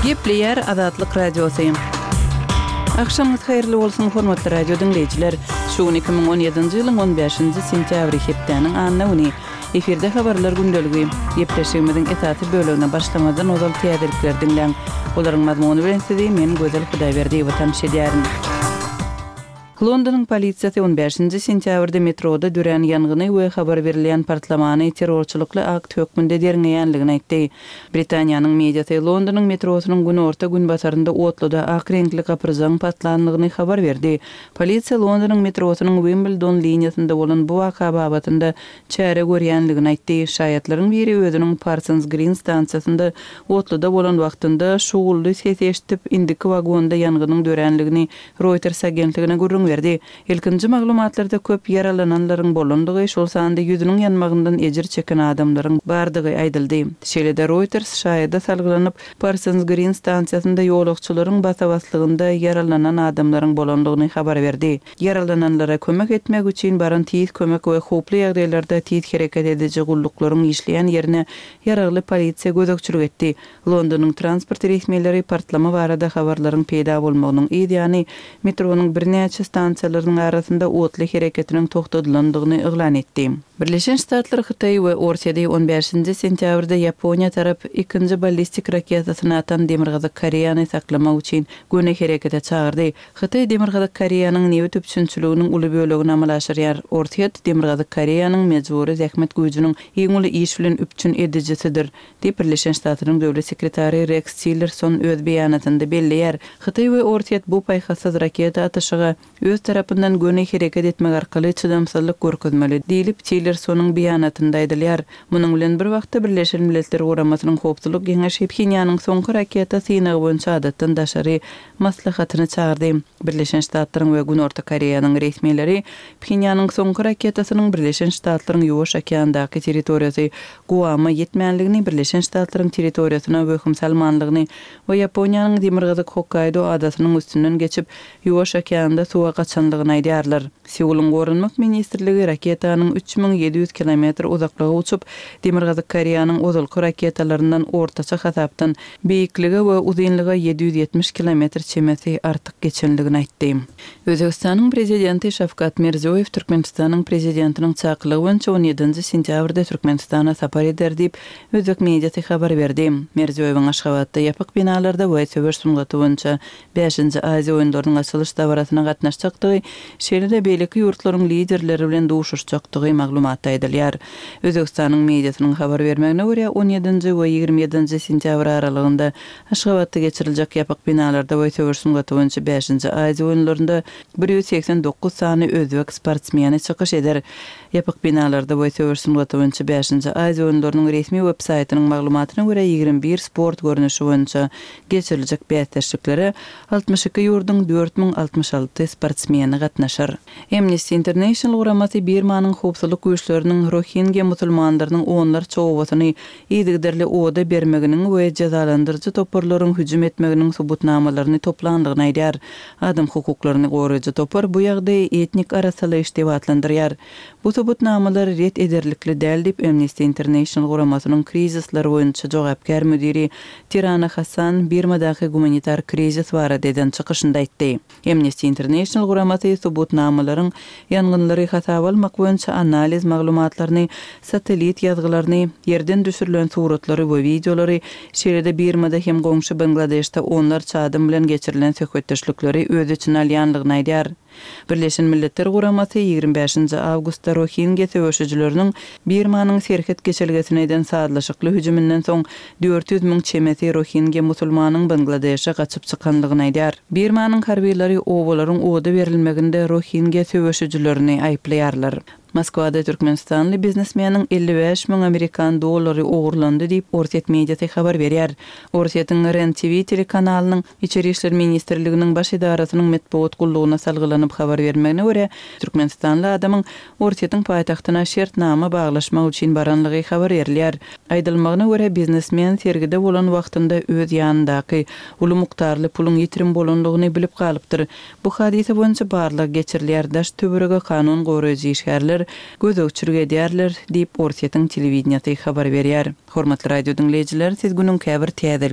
Gepleýär Azatlyk Radiosy. Agşamyňyz haýyrly bolsun, hormatly radio diňleýjiler! Şu gün 2017-nji ýylyň on bäşinji sentýabry, hepdäniň anna güni. Efirde habarlar gündeligi. Gepleşigimiziň esasy bölegine başlamazdan ozal täzelikleri diňläň. Olaryň mazmuny bilen sizi men Gözel Hudaýberdiýewa tanyş edýärin. Londonyň polisiýasy on bäşinji sentýabrda metroda dörän ýangyny we habar berilýän partlamany terrorçylykly akt hökmünde derňeýänligini aýtdy. Britaniýanyň mediasy Londonyň metrosynyň günorta-günbatarynda otluda ak reňkli gapyrjagyň partlandygyny habar berdi. Polisiýa Londonyň metrosynyň Wimbledon liniýasynda bolan bu waka babatynda çäre görýänligini aýtdy. Şaýatlaryň biri özüniň Parsons Green stansiýasynda otluda bolan wagtynda şugully sesi eşidip, indiki wagonda ýangynyň döränligini Reuters agentligine gürrüň berdi. Ilkinji maglumatlarda köp ýaralananlaryň bolandygy, şol sanda ýüzüniň ýanmagyndan ejir çeken adamlaryň bardygy aýdyldy. Şeýle-de Reuters şaýada salgylanyp, Parsons Green stansiýasynda ýolagçylaryň basa-baslygynda ýaralanan adamlaryň bolandygyny habar berdi. Ýaralananlara kömek etmek üçin baran tiz kömek we howply ýagdaýlarda tiz hereket ediji gulluklaryň işleýän ýerine ýaragly polisiýa gözegçilik etdi. Londonyň transport resmileri partlama barada habarlaryň peýda bolmagynyň yz ýany, metronyň birnäçe stansiýalarynyň arasynda otly hereketiniň togtadylandygyny yglan etdi. Birleşen Ştatlar Hytaý we Orsýeti on bäşinji sentýabrda Ýaponiýa tarap ikinji ballistik raketasyny atan Demirgazyk Koreýany saklamak üçin göni herekete çagyrdy. Hytaý Demirgazyk Koreýanyň nebit üpjünçiliginiň uly bölegini amala aşyrýar. Orsýet Demirgazyk Koreýanyň mejbury zähmet güýjüniň iň uly iş bilen üpjün edijisidir. Diýip, Birleşen Ştatlaryň döwlet sekretary Reks Tillerson öz beýanatynda belleýär. Hytaý we Orsýet bu paýhassyz raketa atyşyga öz tarapyndan göni hereket etmek arkaly çydamsyzlyk görkezmeli, diýlip, Tillersonyň beýanatynda aýdylýar. Munuň bilen bir wagtda, Birleşen Milletler Guramasynyň Howpsuzlyk Geňeşi Phenýanyň soňky raketa synagy boýunça adatdan daşary maslahatyny çagyrdy. Birleşen Ştatlaryň we Günorta Koreýanyň resmileri Phenýanyň soňky raketasynyň Birleşen Ştatlaryň Ýuwaş okeandaky territoriýasy Guama ýetmänligini, Birleşen Ştatlaryň territoriýasyna wehim salmanlygyny we Ýaponiýanyň demirgazyk Hokkaýdo adasynyň üstünden geçip, Ýuwaş okeanda suwa gaçanlygyny aýdýarlar. Seulyň Goranmak ministrligi raketanyň 3700 kilometr uzaklyga uçup, Demirgazyk Koreýanyň ozalky raketalaryndan ortaça hasapdan beýiklige we uzynlyga 770 kilometr çemesi artyk geçenligini aýtdy. Özbegistanyň Prezidenti Şawkat Mirziýoýew Türkmenistanyň Prezidentiniň çakylygy boýunça on ýedinji sentýabrda Türkmenistana sapar eder diýip, özbek mediasy habar berdi. Mirziýoýewiň Aşgabatda ýapyk binalarda we söweş sungaty boýunça bäşinji Aziýa oýunlarynyň açylyş dabarasyna gatnaşjakdygy, şeýle-de beýleki ýurtlaryň liderleri bilen duşuşjakdygy maglumatda aýdylýar. Özbegistanyň mediasynyň habar bermegine görä, on ýedinji we 20 ýedinji sentýabr aralygynda Aşgabatda geçiriljek ýapyk binalarda we söweş sungaty boýunça bäşinji Aziýa oýunlarynda 189 sany özbek sportsmeni çykyş eder. Ýapyk binalarda we söweş sungaty boýunça bäşinji Aziýa oýunlarynyň resmi web-saýtynyň maglumatyna görä, 21 sport görnüşi boýunça geçiriljek bäsdeşliklere 62 ýurduň 4066 sportsmeni gatnaşar. Amnesty International guramasy Birmanyň howpsuzlyk güýçleriniň rohingýa musulmanlarynyň onlarça obasyny yzygiderli oda bermeginiň we jezalandyryjy toparlaryň hüjüm etmeginiň subutnamalaryny toplandygyny aýdýar. Adam hukuklaryny goraýjy topar bu ýagdaýy etnik arassalaýyş diýip atlandyrýar. Bu subutnamalar ret ederlikli däl diýip, Amnesty International guramasynyň krizisler boýunça jogapkär müdiri Tirana Hassan Birmadaky gumanitar krizis barada eden çykyşynda aýtdy. Amnesty International guramasy subutnamalaryň ýangynlary hasaba almak boýunça analiz maglumatlaryny, satellit ýazgylaryny, ýerden düşürilen suratlary we wideolary, şeýle-de Birmada hem goňşy Bangladeşde onlarça adam bilen geçirilen söhbetdeşlikleri öz içine alýanlygyny aýdýar. Birleşen Milletler Guramasy 25 nji awgustda rohingýa söweşijileriniň Birmanyň serhet geçelgesine eden sazlaşykly hüjüminden soň 400 müň çemesi rohingýa musulmanyň Bangladeşe gaçyp çykanlygyny aýdýar. Birmanyň harbylary obalaryň oda berilmeginde rohingýa söweşijilerini aýyplaýarlar. Moskwada türkmenistanly biznesmeniň 55 müň amerikan dollary ogurlandy diýip, orsýet mediasy habar berýär. Orsýetiň Ren TV telekanalynyň Içeri işler ministrliginiň baş edarasynyň metbugat gullugyna salgylanyp habar bermegine görä, türkmenistanly adamyň Orsýetiň paýtagtyna şertnama baglaşmak üçin baranlygy habar berilýär. Aýdylmagyna görä, biznesmen sergide bolan wagtynda öz ýanyndaky uly mukdarly puluň ýitirim bolanlygyny bilip galypdyr. Bu hadysa boýunça barlag geçirilýär, daş-töwerege kanun goraýjy işgärler gözegçilik edýärler, diýip, Orsýetiň telewideniýesi habar berýär. Hormatly radio diňleýjiler, siz günüň käbir täzeliklerini.